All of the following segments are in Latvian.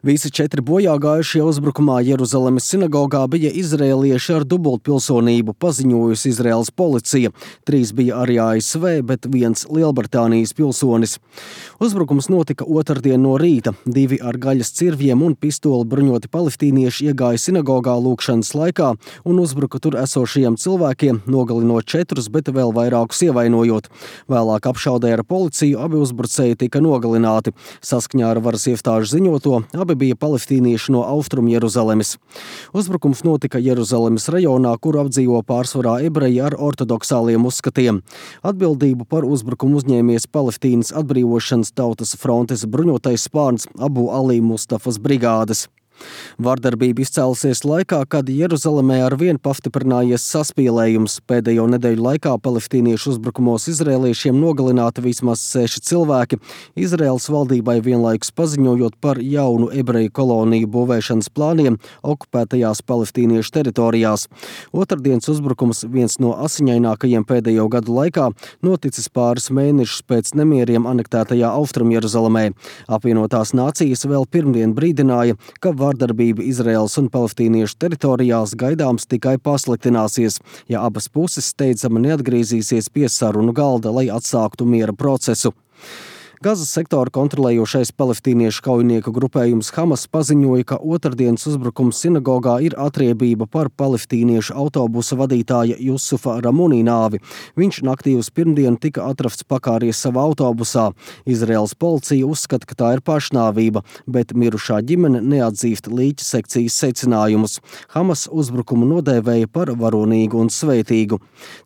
Visi 4 bojāgājušie uzbrukumā Jeruzalemes sinagogā bija izrēlieši ar dubultpilsonību, paziņojusi Izraēlas policija. 3 bija arī ASV, bet 1 Lielbritānijas pilsonis. Uzbrukums notika otrdien no rīta. 2 ar gaļas cirvjiem un pistoli bruņoti palestīnieši iegāja sinagogā lūkšanas laikā un uzbruka tur esošajiem cilvēkiem, nogalinot 4, bet vēl vairākus ievainojot. Vēlāk apšaudē ar policiju abi uzbrucēji tika nogalināti. Saskaņā ar varas iestāžu ziņoto, abi bija palestīnieši no Austrum Jeruzalemes. Uzbrukums notika Jeruzalemes rajonā, kur apdzīvo pārsvarā ebreji ar ortodoksāliem uzskatiem. Atbildību par uzbrukumu uzņēmies Palestīnas atbrīvošanas tautas frontes bruņotais spārns Abu Ali Mustafas brigādes. Vardarbība izcēlusies laikā, kad Jeruzalemē arvien pastiprinājies saspīlējums. Pēdējo nedēļu laikā palestīniešu uzbrukumos izrēliešiem nogalināti vismaz 6 cilvēki, Izraēlas valdībai vienlaikus paziņojot par jaunu ebreju koloniju būvēšanas plāniem okupētajās palestīniešu teritorijās. Otrdienas uzbrukums, viens no asiņainākajiem pēdējo gadu laikā, noticis pāris mēnešus pēc nemieriem anektētajā Austrum Jeruzalemē. Apvienotās nācijas vēl pirmdien brīdināja, ka vardarbība Izraēlas un palestīniešu teritorijās gaidāms tikai pasliktināsies, ja abas puses steidzami neatgriezīsies pie sarunu galda, lai atsāktu miera procesu. Gazas sektoru kontrolējošais palestīniešu kaujinieku grupējums Hamas paziņoja, ka otrdienas uzbrukums sinagogā ir atriebība par palestīniešu autobusa vadītāja Jusufa Ramunī nāvi. Viņš naktī uz pirmdienu tika atrasts pakāries savā autobusā. Izraēlas policija uzskata, ka tā ir pašnāvība, bet mirušā ģimene neatzīst līķa sekcijas secinājumus. Hamas uzbrukumu nodēvēja par varonīgu un svētīgu.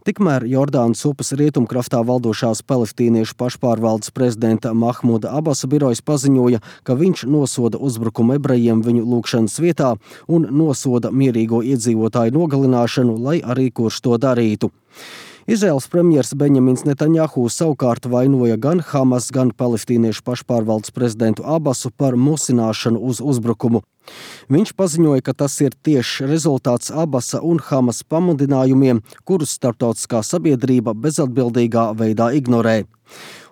Tikmēr Jordānas upes rietumkrastā valdošās palestīniešu pašpārvaldes prezidenta Mahmuda Abasa birojs paziņoja, ka viņš nosoda uzbrukumu ebrejiem viņu lūkšanas vietā un nosoda mierīgo iedzīvotāju nogalināšanu, lai arī kurš to darītu. Izraēlas premjers Benjamins Netanjahu savukārt vainoja gan Hamas, gan palestīniešu pašpārvaldes prezidentu Abasu par musināšanu uz uzbrukumu. Viņš paziņoja, ka tas ir tieši rezultāts Abasa un Hamas pamudinājumiem, kurus starptautiskā sabiedrība bezatbildīgā veidā ignorē.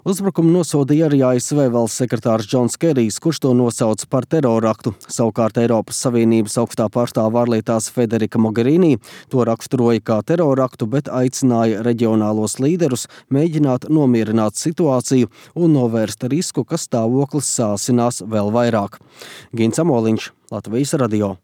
Uzbrukumu nosodīja arī ASV valsts sekretārs Džons Kerijs, kurš to nosauca par teroraktu. Savukārt Eiropas Savienības augstā pārstāve ārlietās Federika Mogherini to raksturoja kā teroraktu, bet aicināja reģionālos līderus mēģināt nomierināt situāciju un novērst risku, ka stāvoklis sāsinās vēl vairāk. Gins Amoliņš, Latvijas radio.